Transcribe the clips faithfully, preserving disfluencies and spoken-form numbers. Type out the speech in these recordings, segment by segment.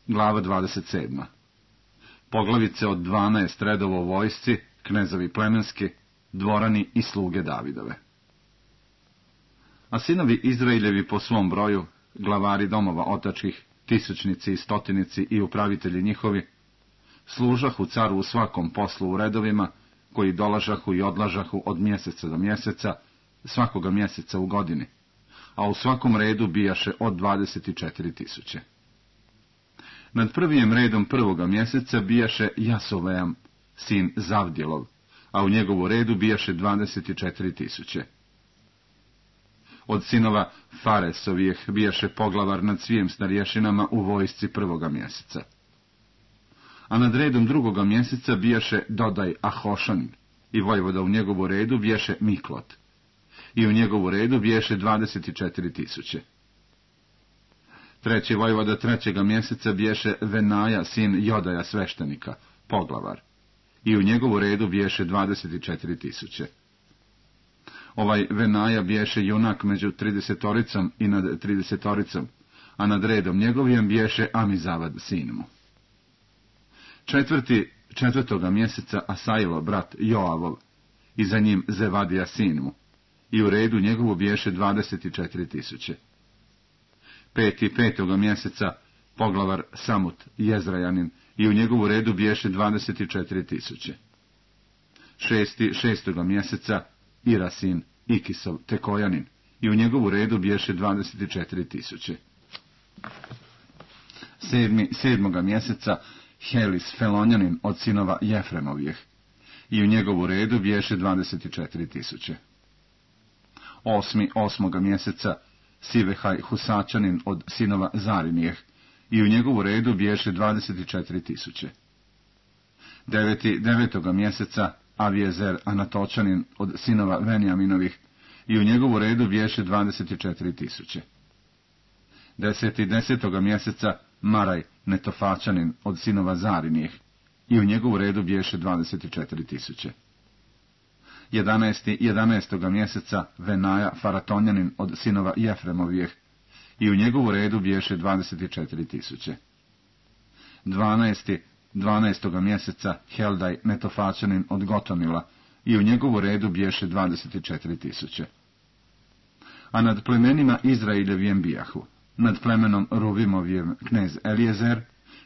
Glava dvadeset sedma. Poglavice od dvanaest redova u vojsci, knezovi plemenski, dvorani i sluge Davidove. A sinovi Izraeljevi po svom broju, glavari domova otačkih, tisućnici i stotinici i upravitelji njihovi, služahu caru u svakom poslu u redovima, koji dolažahu i odlažahu od mjeseca do mjeseca, svakoga mjeseca u godini, a u svakom redu bijaše od dvadeset četiri tisuće. Nad prvijim redom prvoga mjeseca bijaše Jasoveam, sin Zavdjelov, a u njegovu redu bijaše dvadeset četiri tisuće. Od sinova Faresovijeh bijaše poglavar nad svim starješinama u vojsci prvoga mjeseca. A nad redom drugoga mjeseca bijaše Dodaj Ahošanin, i vojvoda u njegovu redu bijaše Miklot, i u njegovu redu bijaše dvadeset četiri tisuće. Treći vojvoda trećega mjeseca bijaše Venaja, sin Jodaja sveštenika, poglavar, i u njegovu redu bijaše dvadeset četiri tisuće. Ovaj Venaja biješe junak među tridesetoricom i nad tridesetoricom, a nad redom njegovijem biješe Amizavad sin mu. Četvrti, četvrtoga mjeseca Asailo, brat Joavov, i za njim Zevadija sin mu, i u redu njegovu biješe dvadeset četiri tisuće. Peti, petoga mjeseca poglavar Samut, Jezrajanin, i u njegovu redu biješe dvadeset četiri tisuće. Šesti, šestoga mjeseca Ira sin Ikisov, Tekojanin, i u njegovu redu biješe dvadeset četiri tisuće. Sedmi, sedmoga mjeseca Helis Felonjanin od sinova Jefremovijeh, i u njegovu redu biješe dvadeset četiri tisuće. Osmi, osmoga mjeseca Sivehaj Husačanin od sinova Zarinijeh, i u njegovu redu biješe dvadeset četiri tisuće. Deveti, devetoga mjeseca Aviezer Anatočanin od sinova Venjaminovih, i u njegovu redu biješe dvadeset četiri tisuće. Deseti, desetoga mjeseca Maraj Netofačanin od sinova Zarinijeh, i u njegovu redu biješe dvadeset četiri tisuće. Jedanesti, jedanaestoga mjeseca Venaja Faratonjanin od sinova Jefremovijeh, i u njegovu redu biješe dvadeset četiri tisuće. Dvanaesti, dvanaestoga mjeseca Heldaj Netofačanin od Gotomila, i u njegovu redu biješe dvadeset četiri tisuće. A nad plemenima Izraeljevijem bijahu, nad plemenom Ruvimovijem knez Elijezer,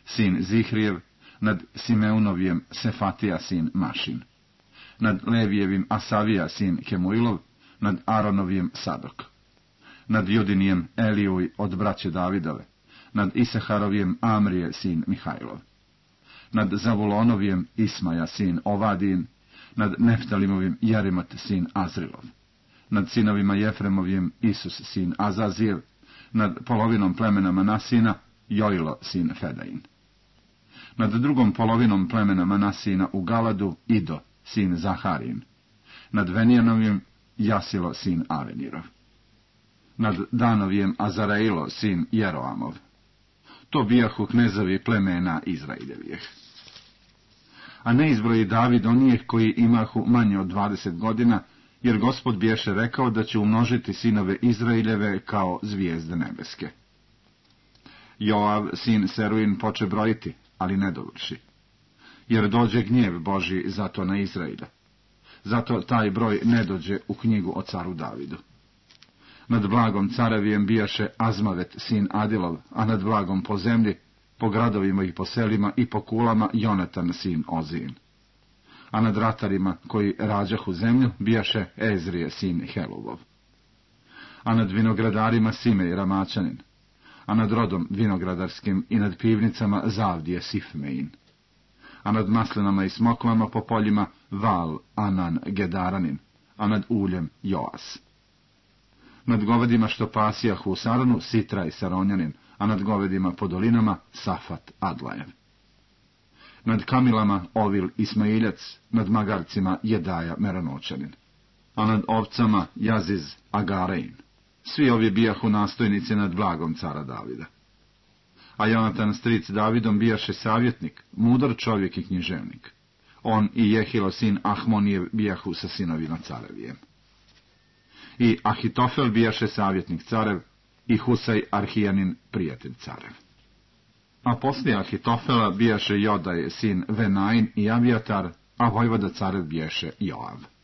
sin Zihrijev, nad Simeunovijem Sefatija, sin Mašin, nad Levijevim Asavija, sin Kemuilov, nad Aronovijem Sadok, nad Judinijem Elijuj od braće Davidove, nad Isaharovijem Amrije, sin Mihajlov, nad Zavulonovijem Ismaja, sin Ovadin, nad Neftalimovim Jerimot, sin Azrilov, nad sinovima Jefremovim Isus, sin Azazijev, nad polovinom plemena Manasina Jojlo, sin Fedain, nad drugom polovinom plemena Manasina u Galadu Ido, sin Zaharin, nad Venijanovim Jasilo, sin Avenirov, nad Danovijem Azarailo, sin Jeroamov. To bijahu knezovi plemena Izraeljevijeh. A ne izbroji David onijeh koji imahu manje od dvadeset godina, jer Gospod biješe rekao da će umnožiti sinove Izraeljeve kao zvijezde nebeske. Joav, sin Seruin, poče brojiti, ali ne dovrši, jer dođe gnjev Božji zato na Izraela. Zato taj broj ne dođe u knjigu o caru Davidu. Nad blagom carevijem bijaše Azmavet, sin Adilov, a nad blagom po zemlji, po gradovima i po selima i po kulama Jonatan, sin Ozin. A nad ratarima koji rađahu zemlju bijaše Ezrije, sin Heluvov. A nad vinogradarima Simej Ramačanin, a nad rodom vinogradarskim i nad pivnicama Zavdije Sifmein. A nad maslinama i smokvama po poljima Val Anan Gedaranin, a nad uljem Joas. Nad govedima što pasijahu u Saronu Sitraj Saronjanin, a nad govedima po dolinama Safat Adlajev. Nad kamilama Ovil Ismailjac, nad magarcima Jedaja Meranočanin, a nad ovcama Jaziz Agarein. Svi ovi bijahu nastojnici nad blagom cara Davida. A Jonatan stric Davidom bijaše savjetnik, mudar čovjek i književnik. On i Jehilo sin Ahmonijev bijahu sa sinovima carevijem. I Ahitofel bijaše savjetnik carev, i Husaj Arhijanin prijatelj carev. A poslije Ahitofela bijaše Jodaj sin Venain i Abijatar, a vojvoda carev bijaše Joav.